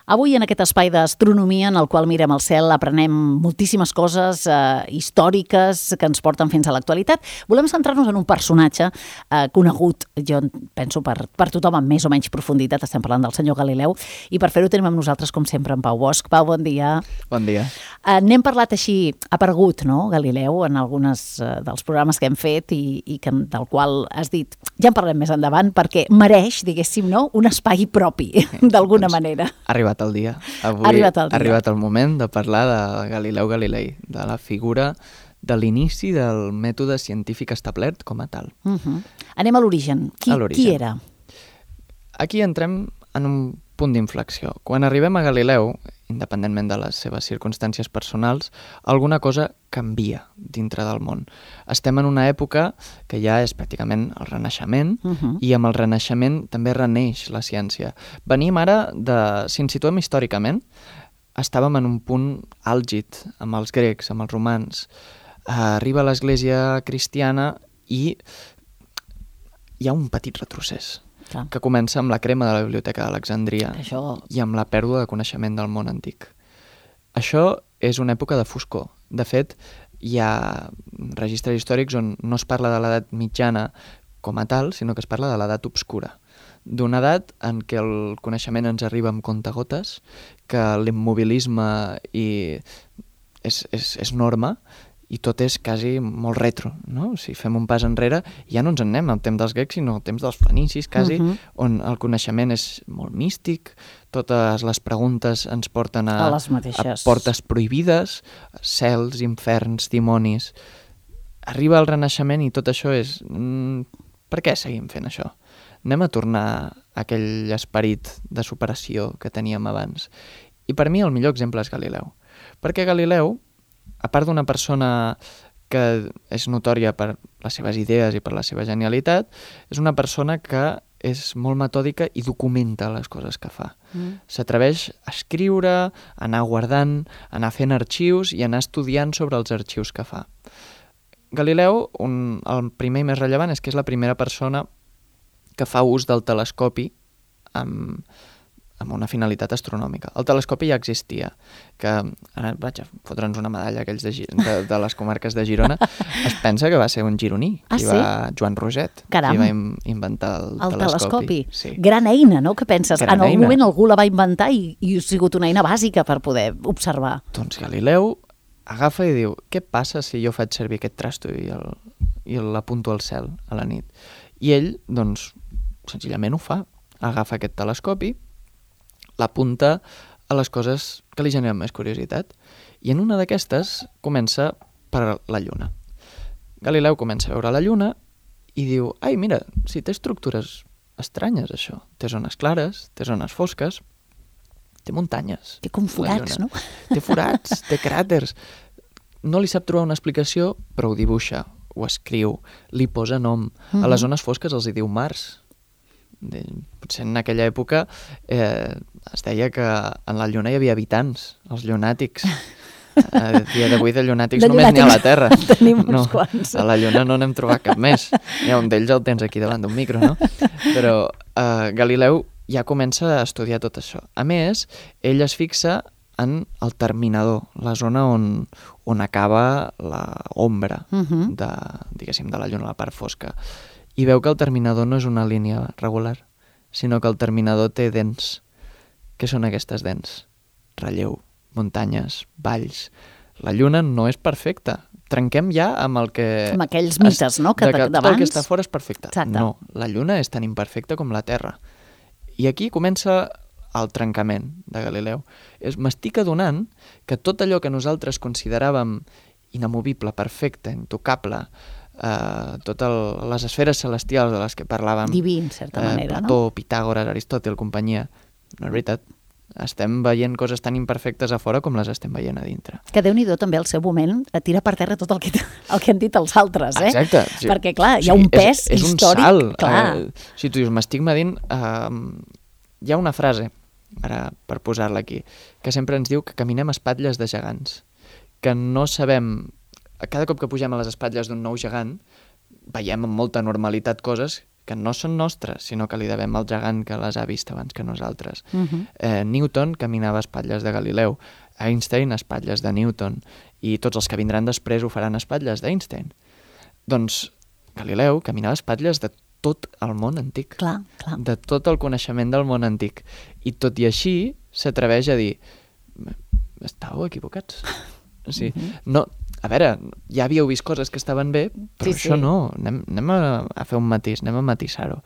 Avui en aquest espai d'astronomia en el qual mirem el cel aprenem moltíssimes coses històriques que ens porten fins a l'actualitat. Volem centrar-nos en un personatge conegut, jo penso, per tothom amb més o menys profunditat. Estem parlant del senyor Galileu i per fer-ho tenim amb nosaltres, com sempre, en Pau Bosch. Pau, bon dia. Bon dia. N'hem parlat així, aparegut, no, Galileu, en alguns dels programes que hem fet i del qual has dit, ja en parlem més endavant, perquè mereix, diguéssim, no, un espai propi, d'alguna manera. Ha arribat el dia. Avui ha arribat el moment de parlar de Galileu Galilei, de la figura de l'inici del mètode científic establert com a tal. Anem a l'origen. Qui era? Aquí entrem en un punt d'inflexió. Quan arribem a Galileu, independentment de les seves circumstàncies personals, alguna cosa canvia dintre del món. Estem en una època que ja és pràcticament el Renaixement i amb el Renaixement també reneix la ciència. Venim ara si ens situem històricament, estàvem en un punt àlgid amb els grecs, amb els romans. Arriba l'Església cristiana i hi ha un petit retrocés que comença amb la crema de la Biblioteca d'Alexandria i amb la pèrdua de coneixement del món antic. Això és una època de foscor. De fet, hi ha registres històrics on no es parla de l'edat mitjana com a tal, sinó que es parla de l'edat obscura. D'una edat en què el coneixement ens arriba amb comptagotes, que l'immobilisme és norma, i tot és quasi molt retro, no? Si fem un pas enrere, ja no ens en anem al temps dels grecs, sinó al temps dels fenicis, quasi, on el coneixement és molt místic, totes les preguntes ens porten a portes prohibides, cels, inferns, dimonis. Arriba el Renaixement i tot això és... Per què seguim fent això? Anem a tornar a aquell esperit de superació que teníem abans. I per mi el millor exemple és Galileu. Perquè Galileu, a part d'una persona que és notòria per les seves idees i per la seva genialitat, és una persona que és molt metòdica i documenta les coses que fa. S'atreveix a escriure, a anar guardant, a anar fent arxius i a anar estudiant sobre els arxius que fa. Galileu, el primer i més rellevant, és que és la primera persona que fa ús del telescopi amb una finalitat astronòmica. El telescopi ja existia, que ara vaig a fotre'ns una medalla aquells de les comarques de Girona. Es pensa que va ser un gironí, Joan Roget, qui va inventar el telescopi. Sí. Gran eina, no? Què penses? En algun moment algú la va inventar i ha sigut una eina bàsica per poder observar. Doncs Galileu agafa i diu, què passa si jo faig servir aquest trasto i l'apunto al cel a la nit? I ell, doncs, senzillament ho fa. Agafa aquest telescopi, l'apunta a les coses que li generen més curiositat. I en una d'aquestes comença per la Lluna. Galileu comença a veure la Lluna i diu, ai, mira, si té estructures estranyes, això. Té zones clares, té zones fosques, té muntanyes. Té com forats, no? Té forats, té cràters. No li sap trobar una explicació, però ho dibuixa, ho escriu, li posa nom. A les zones fosques els hi diu mars. Potser en aquella època es deia que en la Lluna hi havia habitants, els llunàtics. A dia d'avui de llunàtics només n'hi ha a la Terra. Tenim uns quants. A la Lluna no n'hem trobat cap més. Hi ha un d'ells el tens aquí davant d'un micro, no? Però Galileu ja comença a estudiar tot això. A més, ell es fixa en el terminador, la zona on acaba l'ombra diguéssim, de la Lluna, la part fosca. I veu que el terminador no és una línia regular, sinó que el terminador té dents. Què són aquestes dents? Relleu, muntanyes, valls. La Lluna no és perfecta. Trenquem ja amb el que... Amb aquells mites, no?, que d'abans. Tot el que està fora és perfecte. Exacte. No, la Lluna és tan imperfecta com la Terra. I aquí comença el trencament de Galileu. M'estic adonant que tot allò que nosaltres consideràvem inamovible, perfecte, intocable, totes les esferes celestials de les que parlàvem, diví, en certa manera, Plató, Pitàgores, Aristòtil, companyia, no és veritat. Estem veient coses tan imperfectes a fora com les estem veient a dintre. Que Déu-n'hi-do també al seu moment tira per terra tot el que han dit els altres, eh? Exacte. Sí. Perquè, clar, hi ha un pes és històric. Un salt. Clar. Si tu dius, m'estic medint, hi ha una frase, ara per posar-la aquí, que sempre ens diu que caminem a espatlles de gegants, que no sabem... Cada cop que pugem a les espatlles d'un nou gegant, veiem amb molta normalitat coses que no són nostres, sinó que li devem al gegant que les ha vist abans que nosaltres. Newton caminava a espatlles de Galileu, Einstein a espatlles de Newton, i tots els que vindran després ho faran a espatlles d'Einstein. Doncs Galileu caminava a espatlles de tot el món antic, clar. de tot el coneixement del món antic. I tot i així s'atreveix a dir estàveu equivocats. O sigui, no, a veure, ja havíeu vist coses que estaven bé, però això no. Anem a fer un matís, anem a matisar-ho.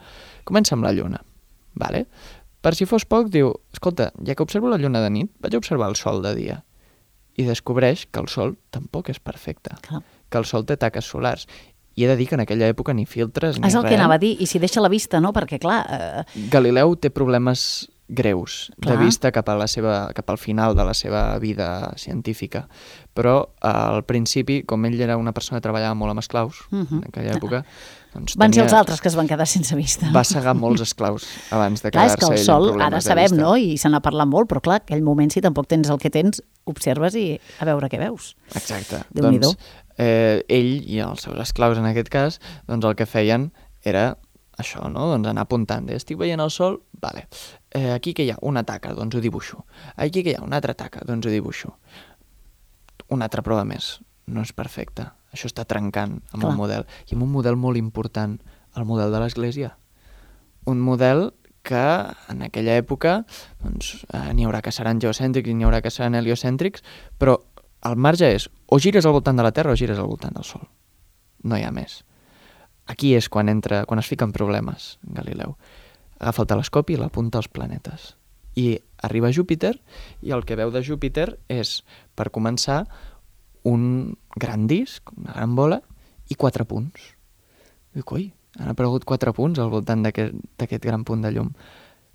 Comença amb la lluna. Vale? Per si fos poc, diu, escolta, ja que observo la lluna de nit, vaig a observar el sol de dia. I descobreix que el sol tampoc és perfecte, que el sol té taques solars. I he de dir que en aquella època ni filtres ni res. És el que anava a dir, i si deixa la vista, no? Perquè, clar... Galileu té problemes greus de vista cap al final de la seva vida científica. Però al principi, com ell era una persona que treballava molt amb esclaus, en aquella època... Doncs van ser els altres que es van quedar sense vista. Va segar molts esclaus abans de quedar-se ell amb problemes de vista. Clar, és que el sol, ara sabem, no? I se n'ha parlat molt, però clar, aquell moment, si tampoc tens el que tens, observes i a veure què veus. Exacte. Doncs ell i els seus esclaus, en aquest cas, doncs el que feien era això, no? Doncs anar apuntant. Estic veient el sol? Vale. Aquí que hi ha una taca, doncs ho dibuixo. Aquí que hi ha una altra taca, doncs ho dibuixo. Una altra prova més. No és perfecte. Això està trencant amb el model. I amb un model molt important, el model de l'Església. Un model que en aquella època doncs, n'hi haurà que seran geocèntrics i n'hi haurà que seran heliocèntrics, però el marge és o gires al voltant de la Terra o gires al voltant del Sol. No hi ha més. Aquí és quan es fiquen problemes, Galileu. Agafa el telescopi i l'apunta als planetes. I arriba a Júpiter i el que veu de Júpiter és, per començar, un gran disc, una gran bola, i 4 punts. Diu, coi, han aparegut 4 punts al voltant d'aquest gran punt de llum.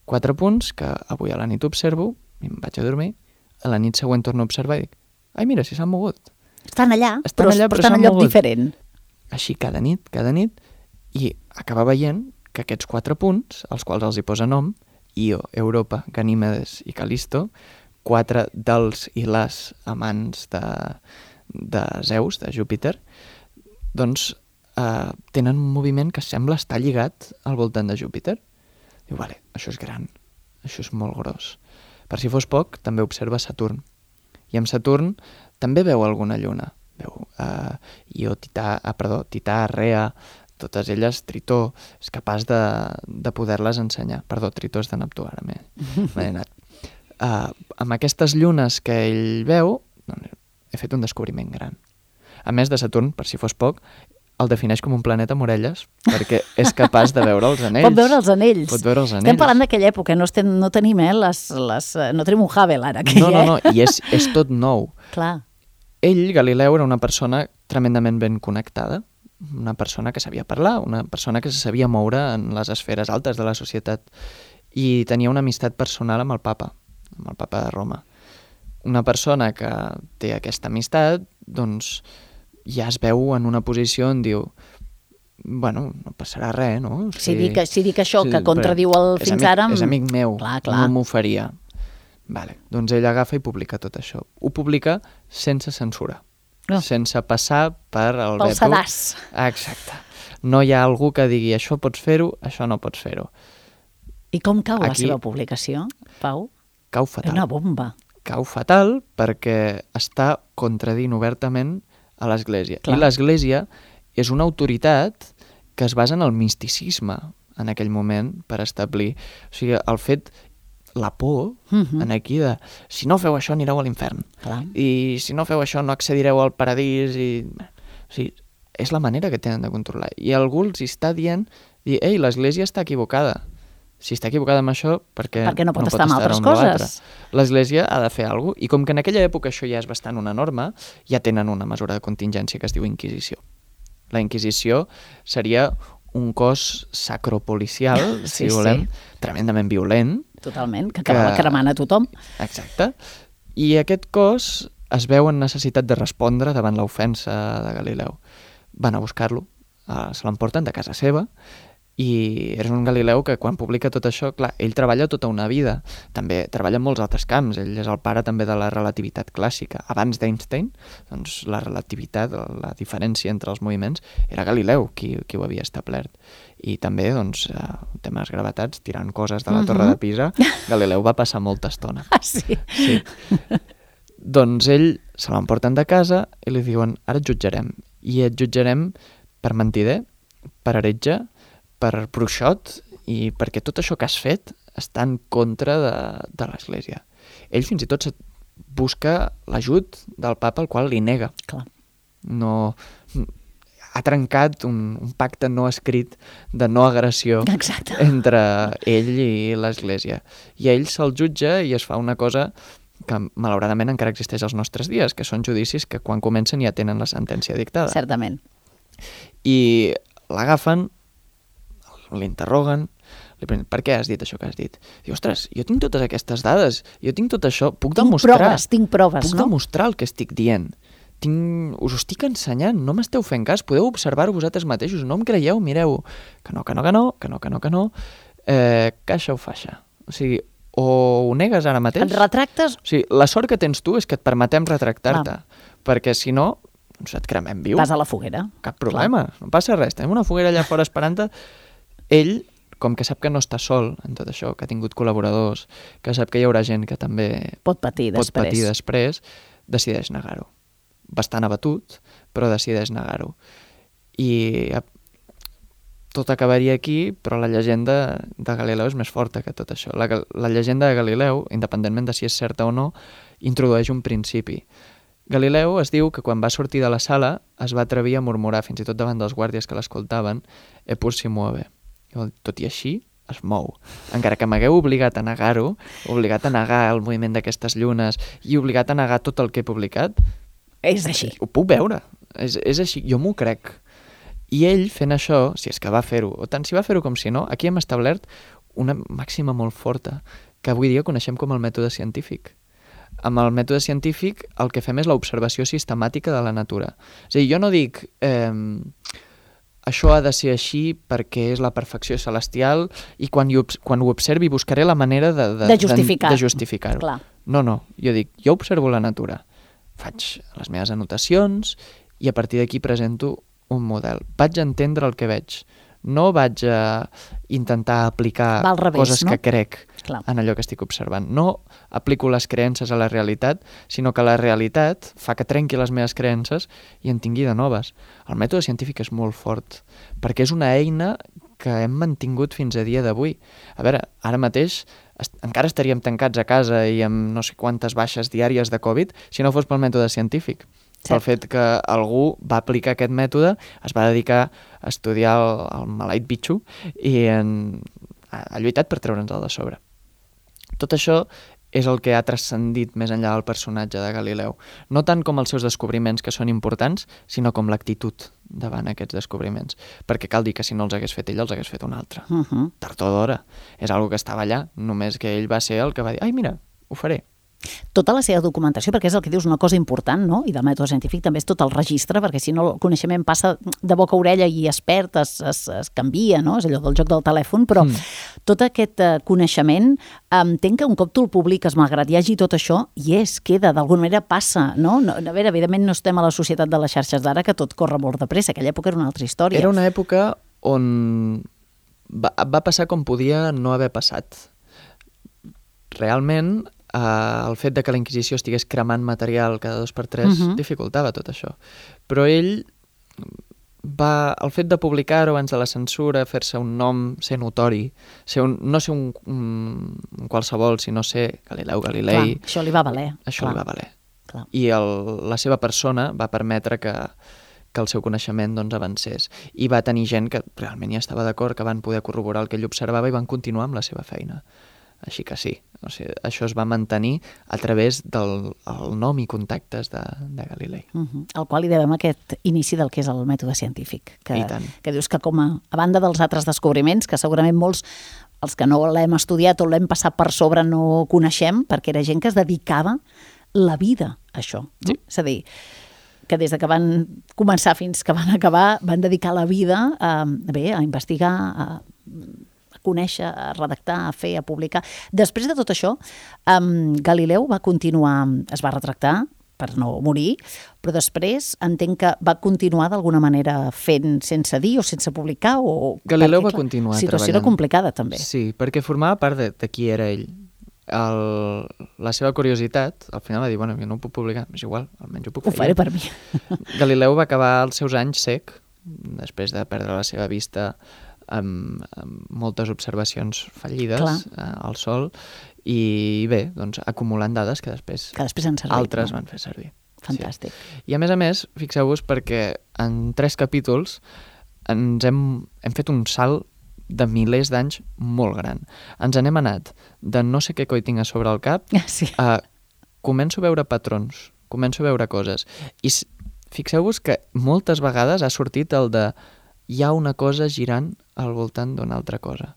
4 punts que avui a la nit observo, i em vaig a dormir, a la nit següent torno a observar i dic, ai, mira, si s'han mogut. Estan allà, però estan en lloc diferent. Així cada nit, i acaba veient que aquests 4 punts, als quals els hi posa nom, Io, Europa, Ganímedes i Calisto, 4 dels i les amants de Zeus, de Júpiter, doncs tenen un moviment que sembla estar lligat al voltant de Júpiter. Diu, vale, això és gran, això és molt gros. Per si fos poc, també observa Saturn. I amb Saturn també veu alguna lluna. Veu Io, Tità, Rea, totes elles, Tritó, és capaç de poder-les ensenyar. Perdó, Tritó és de Neptú, ara m'he anat. Amb aquestes llunes que ell veu, doncs, he fet un descobriment gran. A més de Saturn, per si fos poc, el defineix com un planeta amb orelles, perquè és capaç de veure els anells. Pot veure els anells. Pot veure els anells. Estem parlant d'aquella època, no tenim no tenim un Hubble ara. No, i és tot nou. Clar. Ell, Galileu, era una persona tremendament ben connectada, una persona que sabia parlar, una persona que se sabia moure en les esferes altes de la societat i tenia una amistat personal amb el papa de Roma. Una persona que té aquesta amistat, doncs ja es veu en una posició on diu bueno, no passarà res, no? Si dic això que contradiu el fins ara... És amic meu, clar. No m'ho faria. Vale. Doncs ell agafa i publica tot això. Ho publica sense censura, sense passar per el veto. Pel sedàs. Exacte. No hi ha algú que digui això pots fer-ho, això no pots fer-ho. I com cau la seva publicació, Pau? Cau fatal. Una bomba. Cau fatal perquè està contradint obertament a l'Església. Clar. I l'Església és una autoritat que es basa en el misticisme en aquell moment per establir. O sigui, el fet, la por, en aquí de si no feu això anireu a l'infern. Clar. I si no feu això no accedireu al paradís. O sigui, és la manera que tenen de controlar. I algú els està dient, ei, l'Església està equivocada. Si està equivocada amb això, perquè no pot estar amb altres coses. L'Església ha de fer alguna cosa. I com que en aquella època això ja és bastant una norma, ja tenen una mesura de contingència que es diu Inquisició. La Inquisició seria un cos sacropolicial, si volem, tremendament violent. Totalment, que acabava cremant a tothom. Exacte. I aquest cos es veu en necessitat de respondre davant l'ofensa de Galileu. Van a buscar-lo, se l'emporten de casa seva I és un Galileu que quan publica tot això, clar, ell treballa tota una vida, també treballa en molts altres camps, ell és el pare també de la relativitat clàssica. Abans d'Einstein, doncs la relativitat, la diferència entre els moviments, era Galileu qui ho havia establert. I també, doncs, temes gravetats, tirant coses de la Torre de Pisa, Galileu va passar molta estona. Ah, sí? Sí. Doncs ell se l'emporten de casa i li diuen, ara et jutjarem. I et jutjarem per mentider, per heretge, per bruixot i perquè tot això que has fet està en contra de l'Església. Ell fins i tot busca l'ajut del papa, el qual li nega. Clar. No, ha trencat un pacte no escrit de no agressió Exacte. entre ell i l'Església. I ell se'l jutja i es fa una cosa que malauradament encara existeix als nostres dies, que són judicis que quan comencen ja tenen la sentència dictada. Certament. I l'agafen, l'interroguen, li pregunten, per què has dit això que has dit? Diu, ostres, jo tinc totes aquestes dades, jo tinc tot això, puc demostrar... Tinc proves, puc demostrar el que estic dient. Us ho estic ensenyant, no m'esteu fent cas, podeu observar-ho vosaltres mateixos, no em creieu, mireu, que no, caixa o faixa. O sigui, o ho negues ara mateix... Et retractes? O sigui, la sort que tens tu és que et permetem retractar-te, perquè si no, doncs et cremem viu. Vas a la foguera. Cap problema, no passa res, tenim una foguera allà fora esperant-te. Ell, com que sap que no està sol en tot això, que ha tingut col·laboradors, que sap que hi haurà gent que també pot patir després, decideix negar-ho. Bastant abatut, però decideix negar-ho. I tot acabaria aquí, però la llegenda de Galileu és més forta que tot això. La llegenda de Galileu, independentment de si és certa o no, introdueix un principi. Galileu es diu que quan va sortir de la sala es va atrevir a murmurar, fins i tot davant dels guàrdies que l'escoltaven, «Eppur si muove». Tot i així es mou. Encara que m'hagueu obligat a negar-ho, obligat a negar el moviment d'aquestes llunes i obligat a negar tot el que he publicat... És així. Ho puc veure. És així. Jo m'ho crec. I ell, fent això, si és que va fer-ho, o tant si va fer-ho com si no, aquí hem establert una màxima molt forta, que avui dia coneixem com el mètode científic. Amb el mètode científic el que fem és l'observació sistemàtica de la natura. És a dir, jo no dic... això ha de ser així perquè és la perfecció celestial i quan ho observi buscaré la manera de justificar-ho. Clar. No, jo dic, jo observo la natura, faig les meves anotacions i a partir d'aquí presento un model. Vaig a entendre el que veig, no vaig a intentar aplicar coses que crec en allò que estic observant. No aplico les creences a la realitat, sinó que la realitat fa que trenqui les meves creences i en tingui de noves. El mètode científic és molt fort, perquè és una eina que hem mantingut fins a dia d'avui. A veure, ara mateix encara estaríem tancats a casa i amb no sé quantes baixes diàries de Covid si no fos pel mètode científic. Pel fet que algú va aplicar aquest mètode, es va dedicar a estudiar el maleït bitxo i ha lluitat per treure'ns-el de sobre. Tot això és el que ha transcendit més enllà del personatge de Galileu. No tant com els seus descobriments, que són importants, sinó com l'actitud davant aquests descobriments. Perquè cal dir que si no els hagués fet ell, els hagués fet un altre. Tard o d'hora. És algo que estava allà, només que ell va ser el que va dir, ai, mira, ho faré. Tota la seva documentació, perquè és el que dius, una cosa important, no? I del mètode científic també és tot el registre, perquè si no el coneixement passa de boca a orella i es perd, es canvia, no? És allò del joc del telèfon, però tot aquest coneixement, entenc que un cop tu el publiques, malgrat hi hagi tot això, queda, d'alguna manera passa, no? A veure, evidentment no estem a la societat de les xarxes d'ara, que tot corre molt de pressa, aquella època era una altra història. Era una època on va passar com podia no haver passat. Realment, el fet de que la Inquisició estigués cremant material cada 2x3 dificultava tot això. Però ell el fet de publicar-ho abans de la censura, fer-se un nom, ser notori, no ser un qualsevol, sinó ser Galileu Galilei... Clar, això li va valer. Això li va valer. Clar. I la seva persona va permetre que el seu coneixement avancés. I va tenir gent que realment hi estava d'acord, que van poder corroborar el que ell observava i van continuar amb la seva feina. Així que sí, o sigui, això es va mantenir a través del nom i contactes de Galilei. Al qual hi devem aquest inici del que és el mètode científic. Que dius que a banda dels altres descobriments, que segurament molts, els que no l'hem estudiat o l'hem passat per sobre no coneixem, perquè era gent que es dedicava la vida a això. No? Sí. És a dir, que des de que van començar fins que van acabar van dedicar la vida a investigar, a conèixer, a redactar, a fer, a publicar. Després de tot això, Galileu va continuar, es va retractar per no morir, però després entenc que va continuar d'alguna manera fent sense dir o sense publicar. Galileu va continuar treballant. La situació era complicada, també. Sí, perquè formava part de qui era ell. La seva curiositat, al final va dir, bueno, jo no ho puc publicar, és igual, almenys ho puc fer. Ho faré per mi. Galileu va acabar els seus anys sec, després de perdre la seva vista amb moltes observacions fallides al sol, i bé, doncs acumulant dades que després altres van fer servir. Fantàstic. Sí. I a més, fixeu-vos perquè en 3 capítols hem fet un salt de milers d'anys molt gran. Ens n'hem anat de no sé què coi tinc a sobre el cap a començo a veure patrons, començo a veure coses. I fixeu-vos que moltes vegades ha sortit el de hi ha una cosa girant al voltant d'una altra cosa.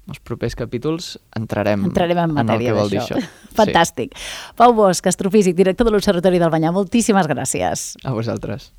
Els propers capítols entrarem en el que vol dir això. Fantàstic. Sí. Pau Bosch, astrofísic, director de l'Observatori del Banyar, moltíssimes gràcies. A vosaltres.